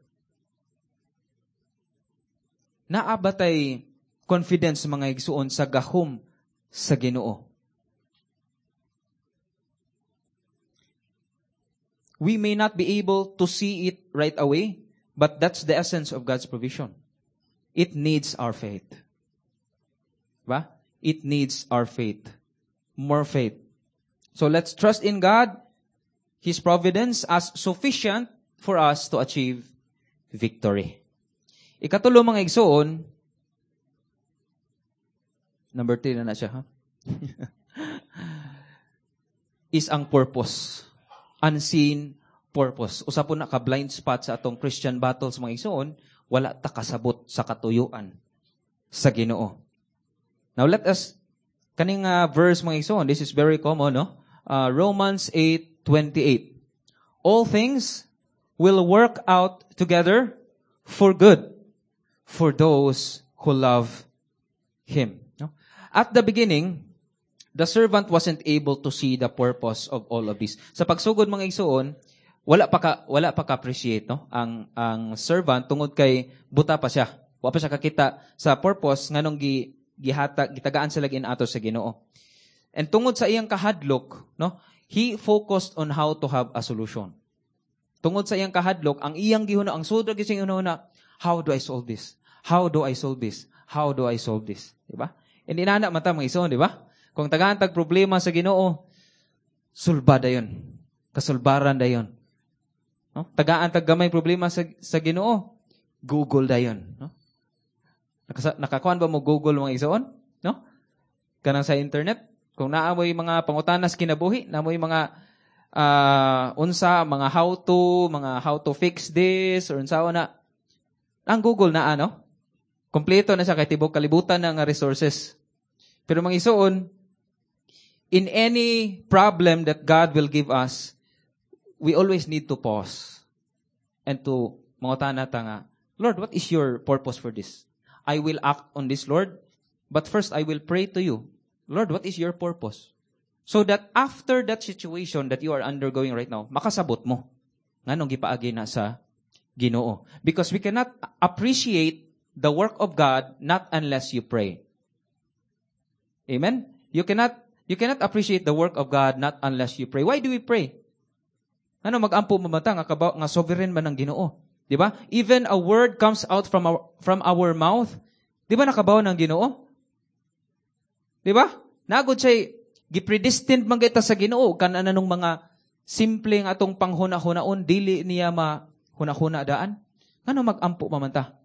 Naa ba tay confidence mga igsuon sa gahom sa Ginoo? We may not be able to see it right away, but that's the essence of God's provision. It needs our faith. Ba? It needs our faith. More faith. So let's trust in God, His providence as sufficient for us to achieve victory. Ikatulo mga igsoon, number three na na siya, ha? is ang purpose. Unseen purpose. Usa po na ka blind spot sa atong Christian battles mga igsoon, wala ta kasabot sa katuyuan sa Ginoo. Now let us kaning uh, verse mga igsoon, this is very common, no? Uh, Romans eight twenty-eight. All things will work out together for good for those who love Him. No? At the beginning, the servant wasn't able to see the purpose of all of this. Sa pagsugod mga igsoon, wala pa ka wala pa ka-appreciate no ang ang servant tungod kay buta pa siya. Wa pa siya kakita sa purpose nganong gi gihatag gitagaan sila ato sa Ginoo. And tungod sa iyang kahadlok, no, he focused on how to have a solution. Tungod sa iyang kahadlok, ang iyang gihuna, ang sudra gyud siyang huna, how do I solve this? How do I solve this? How do I solve this? Di ba? And inana man ta mga igsoon, di ba? Kung tagaan tag problema sa Ginoo, sulba dayon. Kasulbaran dayon. No? Tagaan tag gamay problema sa sa Ginoo, Google dayon, no? Nakasa, nakakuan ba mo Google mga igsoon? No? Kanang sa internet, kung naa moy mga pangutanas kinabuhi, naa moy mga uh, unsa, mga how to, mga how to fix this or unsa na. Ang Google na ano? Kompleto na siya kay tibok kalibutan na nga resources. Pero mga igsoon, in any problem that God will give us, we always need to pause and to mangutana ta nga, Lord, what is your purpose for this? I will act on this, Lord, but first I will pray to you. Lord, what is your purpose? So that after that situation that you are undergoing right now, makasabot mo. Nganong gipaagi na sa Ginoo. Because we cannot appreciate the work of God not unless you pray. Amen? You cannot you cannot appreciate the work of God not unless you pray. Why do we pray? Ano magampo mamata nga kabaw nga sovereign man ang Ginoo, di ba? Even a word comes out from our from our mouth, di ba nakabaw ng Ginoo? Di ba? Nagod siya gipredestined man kita sa Ginoo kan anong mga simple nga atong panghuna-hunaon dili niya mahuna-huna daan. Ngano magampo pa man ta?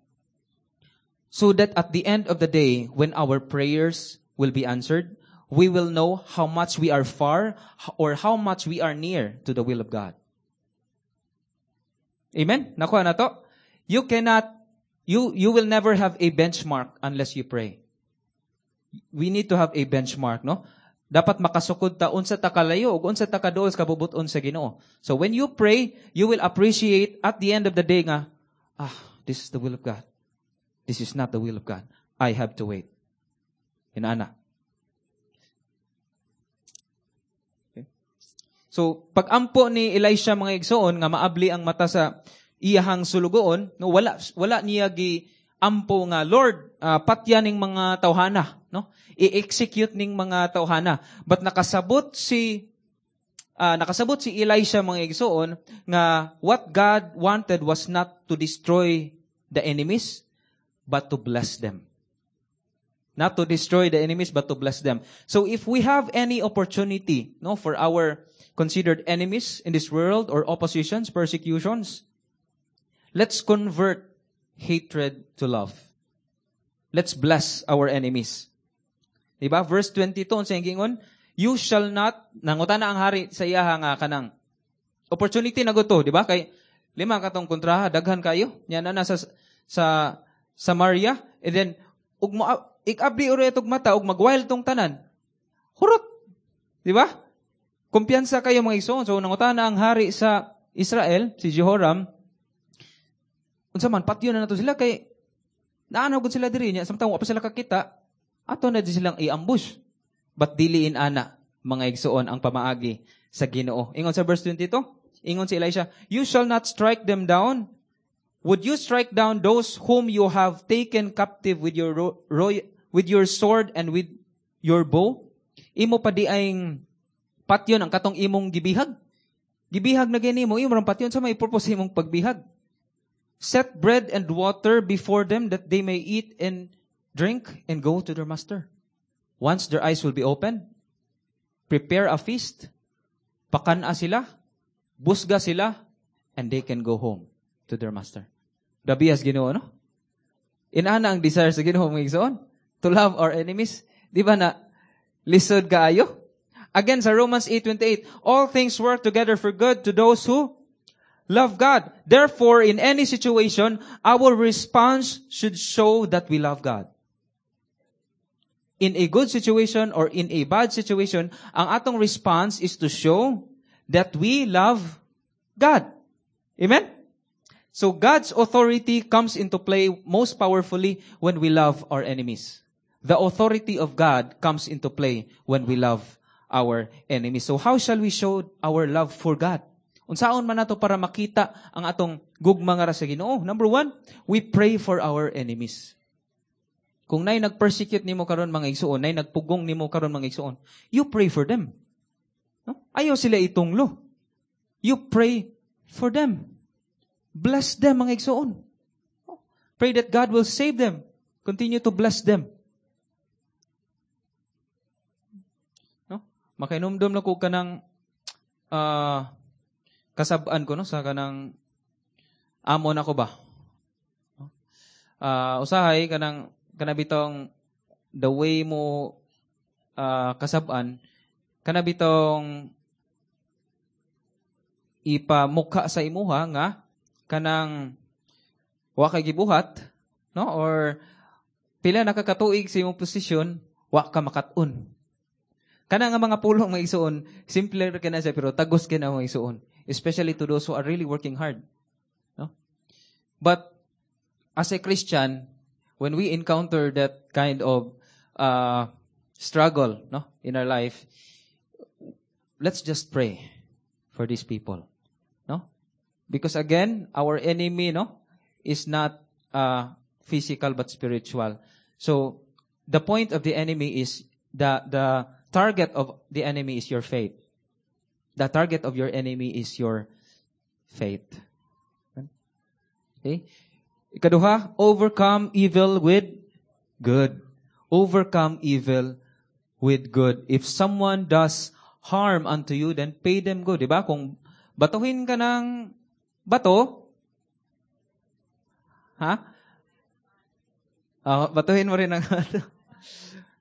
So that at the end of the day, when our prayers will be answered, we will know how much we are far or how much we are near to the will of God. Amen? Nakuha na to? You cannot, you, you will never have a benchmark unless you pray. We need to have a benchmark, no? Dapat makasukod ta unsa ta kalayo ug unsa ta kaduol sa kabubut-on sa Ginoo. So when you pray, you will appreciate at the end of the day nga, ah, this is the will of God. This is not the will of God. I have to wait. Inana. Okay. So, pag-ampo ni Elisha mga igsoon nga maabli ang mata sa iyahang sulugoon, no, wala wala niya gi ampo nga Lord, uh, patya ning mga tawhana, no? I-execute ning mga tawhana. But nakasabot si uh, nakasabot si Elisha mga igsoon nga what God wanted was not to destroy the enemies but to bless them. Not to destroy the enemies but to bless them. So if we have any opportunity no for our considered enemies in this world or oppositions, persecutions, let's convert hatred to love. Let's bless our enemies. Diba? Verse twenty-two, unsa giingon? You shall not, nangutana ang hari sa iyaha nga kanang opportunity na to, di ba? Kay lima katong kontraha, daghan kayo. Nya na sa sa Samaria, and then ug mo ikabli oro itog mata ug magwild tong tanan. Hurot. Di ba? Kumpiyansa kayo mga igsoon. So nangutana ang hari sa Israel, si Jehoram, unsa man patyon na nato sila kay naanaw gud sila diri nya samtang wa pa sila kakita, ato na di silang i-ambush. But dili in-ana, mga igsoon, ang pamaagi sa Ginoo. Ingon sa verse twenty-two, ingon si Elisha, "You shall not strike them down. Would you strike down those whom you have taken captive with your ro- ro- with your sword and with your bow?" Imo pa diayng patyon ang katong imong gibihag. Gibihag na gani mo, imo rang patyon sa may purpose imong pagbihag. Set bread and water before them that they may eat and drink and go to their master. Once their eyes will be opened, prepare a feast, pakana sila, busga sila, and they can go home to their master. Grabe sa Ginoo, no? Inana ang desire sa Ginoo mga igsoon, to love our enemies. Di ba na lisod kaayo? Again, sa Romans eight twenty-eight, all things work together for good to those who love God. Therefore, in any situation, our response should show that we love God. In a good situation or in a bad situation, ang atong response is to show that we love God. Amen? So God's authority comes into play most powerfully when we love our enemies. The authority of God comes into play when we love our enemies. So how shall we show our love for God? Unsaon man nato para makita ang atong gugma nga sa Ginoo? Number one, we pray for our enemies. Kung nay nag-persecute nimo karon mga igsuon, nay nagpugong nimo karon mga igsuon, you pray for them. No? Ayaw sila itunglo. You pray for them. Bless them mga igsuon. Pray that God will save them. Continue to bless them. No? Makainumdum na ko kanang uh, kasab-an ko no sa kanang amo na ko ba. Uh, usahay kanang kanabitong the way mo uh, kasab-an kanabitong ipamukha sa imuha nga kanang wa kay gibuhat, no, or pila nakakatuig sa imong posisyon wa ka makat-on. Kana nga mga pulong mga igsuon, simple ra kana siya pero tagos kina mga igsuon, especially to those who are really working hard, no? But as a Christian, when we encounter that kind of uh, struggle, no, in our life, let's just pray for these people, no? Because again, our enemy, no, is not uh, physical but spiritual. So the point of the enemy is the the target of the enemy is your faith. The target of your enemy is your faith. Okay? Ikaduha, overcome evil with good. Overcome evil with good. If someone does harm unto you, then pay them good. Diba? Kung batuhin ka ng bato, ha? Oh, batuhin mo rin ng bato.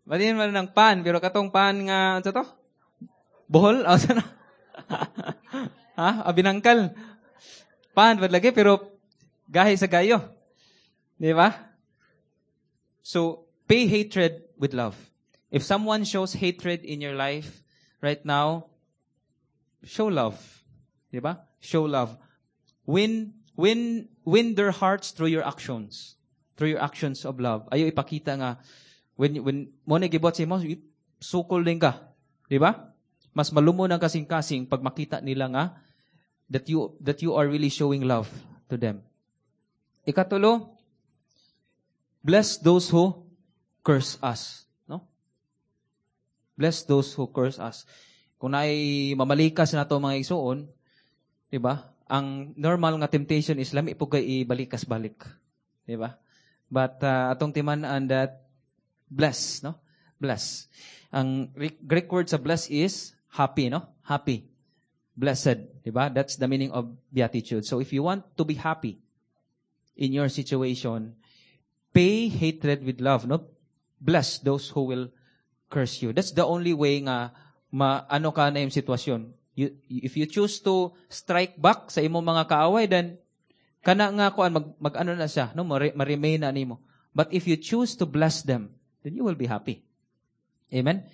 Batuhin mo rin ng pan, pero katong pan nga, ano to? Bohol? Oh, sana? Ha? Abinangkal. Pan, ba't lagi? Pero gahi sa gayo. Di ba? So, pay hatred with love. If someone shows hatred in your life right now, show love. Di ba? Show love. Win, win, win their hearts through your actions. Through your actions of love. Ayaw ipakita nga, when, when mo na gibuhat sa imo, sukol din ka. Di ba? Mas malumo ng kasing-kasing pag makita nila nga that you, that you are really showing love to them. Ikatulo, Bless those who curse us. No? Bless those who curse us. Kung naay mamalikas nato mga igsuon, di ba? Ang normal nga temptation is lami pud kay ibalikas balik. Di ba? But uh, atong timan-an that bless, no? Bless. Ang Greek word sa bless is happy, no? Happy. Blessed, di ba? That's the meaning of beatitude. So if you want to be happy in your situation, pay hatred with love, no? Bless those who will curse you. That's the only way nga ma ano ka na yung sitwasyon. You, if you choose to strike back sa imong mga kaaway, then kana nga kuan mag, mag ano na siya, no? Ma-remain na nimo. But if you choose to bless them, then you will be happy. Amen?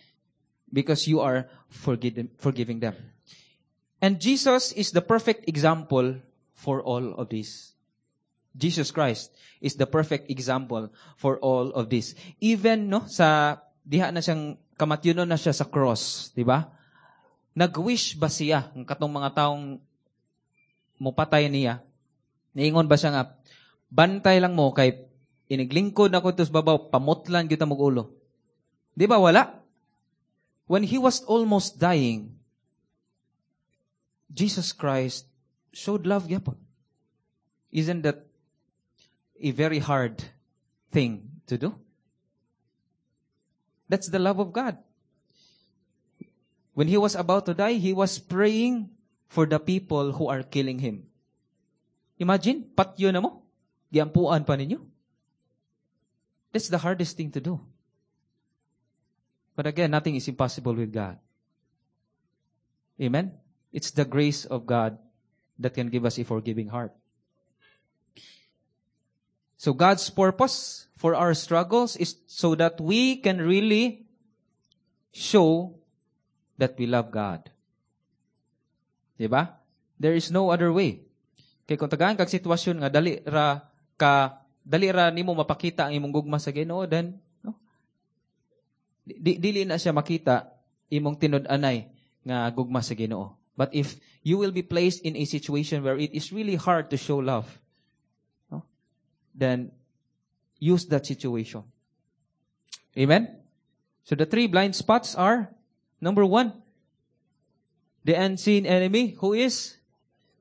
Because you are forgive, forgiving them. And Jesus is the perfect example for all of this. Jesus Christ is the perfect example for all of this. Even no sa diha na siyang kamatyonon na siya sa cross, di ba? Nag-wish ba siya ang katong mga taong mupatay niya? Niingon ba siya nga bantay lang mo kay iniglingkod nako sa babaw, pamutlan gyud mog ulo. Di ba wala? When he was almost dying, Jesus Christ showed love gyapon. Isn't that a very hard thing to do? That's the love of God. When he was about to die, he was praying for the people who are killing him. Imagine, patyo na mo. Giampuan pa ninyo. That's the hardest thing to do. But again, nothing is impossible with God. Amen? It's the grace of God that can give us a forgiving heart. So God's purpose for our struggles is so that we can really show that we love God. Diba? There is no other way. Kay kung tagaan kag sitwasyon nga dali ra ka dali ra nimo mapakita ang imong gugma sa Ginoo then no di, dili na siya makita imong tinud-anay nga gugma sa Ginoo. But if you will be placed in a situation where it is really hard to show love, no, then use that situation. Amen? So the three blind spots are, number one, the unseen enemy, who is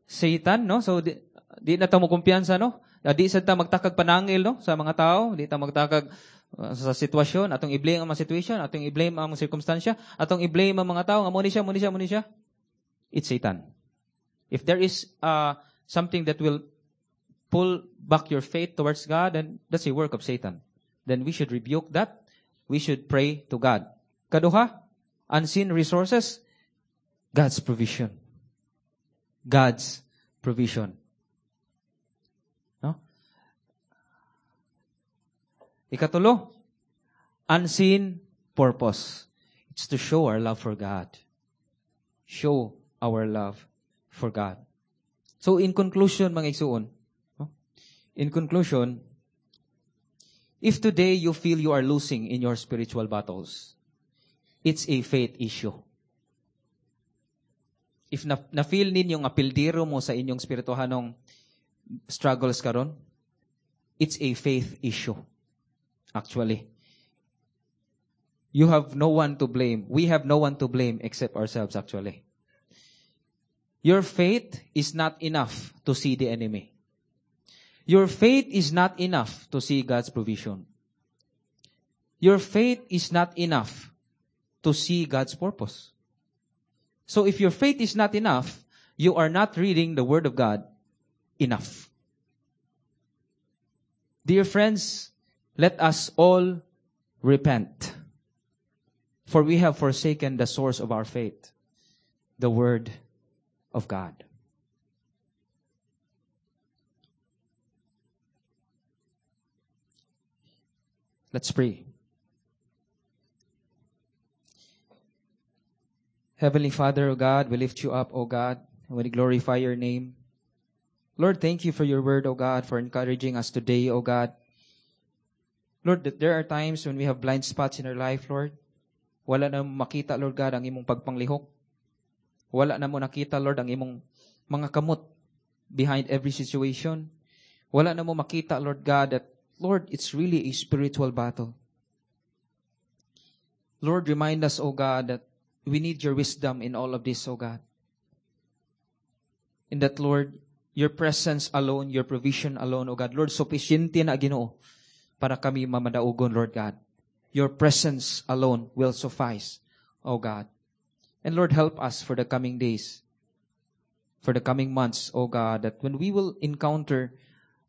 Satan, no? So, di, di na ta mo kumpiyansa, no? Di sa ta magtakag panangil, no? Sa mga tao, di ta magtakag uh, sa sitwasyon, atong i-blame ang mga situation, atong i-blame ang mga sirkumstansya, atong i-blame ang mga tao, nga mo ni siya, mo ni siya, mo ni siya. It's Satan. If there is uh, something that will pull back your faith towards God, then that's a work of Satan. Then we should rebuke that. We should pray to God. Kaduha, unseen resources, God's provision. God's provision. No? Ikatulo, unseen purpose. It's to show our love for God. Show our love for God. So in conclusion, mga igsuon, no? in conclusion, if today you feel you are losing in your spiritual battles, it's a faith issue. If na, na-feel ninyo nga pildiro mo sa inyong spirituhanong struggles karon, it's a faith issue. Actually. You have no one to blame. We have no one to blame except ourselves, actually. Your faith is not enough to see the enemy. Your faith is not enough to see God's provision. Your faith is not enough to see God's purpose. So if your faith is not enough, you are not reading the Word of God enough. Dear friends, let us all repent. For we have forsaken the source of our faith, the Word of God. Let's pray. Heavenly Father, O God, we lift you up, O God, and we glorify your name. Lord, thank you for your word, O God, for encouraging us today, O God. Lord, that there are times when we have blind spots in our life, Lord. Wala na makita, Lord God, ang imong pagpanglihok. Wala na mo nakita, Lord, ang imong mga kamot behind every situation. Wala na mo makita, Lord God, that Lord, it's really a spiritual battle. Lord, remind us, O God, that we need your wisdom in all of this, O God. In that, Lord, your presence alone, your provision alone, O God. Lord, sufficiente na Ginoo para kami mamadaugon, Lord God. Your presence alone will suffice, O God. And Lord, help us for the coming days, for the coming months, O God, that when we will encounter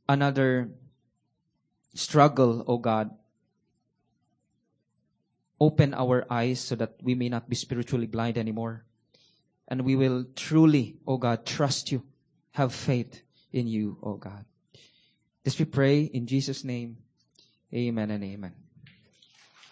another struggle, O God, open our eyes so that we may not be spiritually blind anymore. And we will truly, O God, trust you, have faith in you, O God. This we pray in Jesus' name. Amen and amen.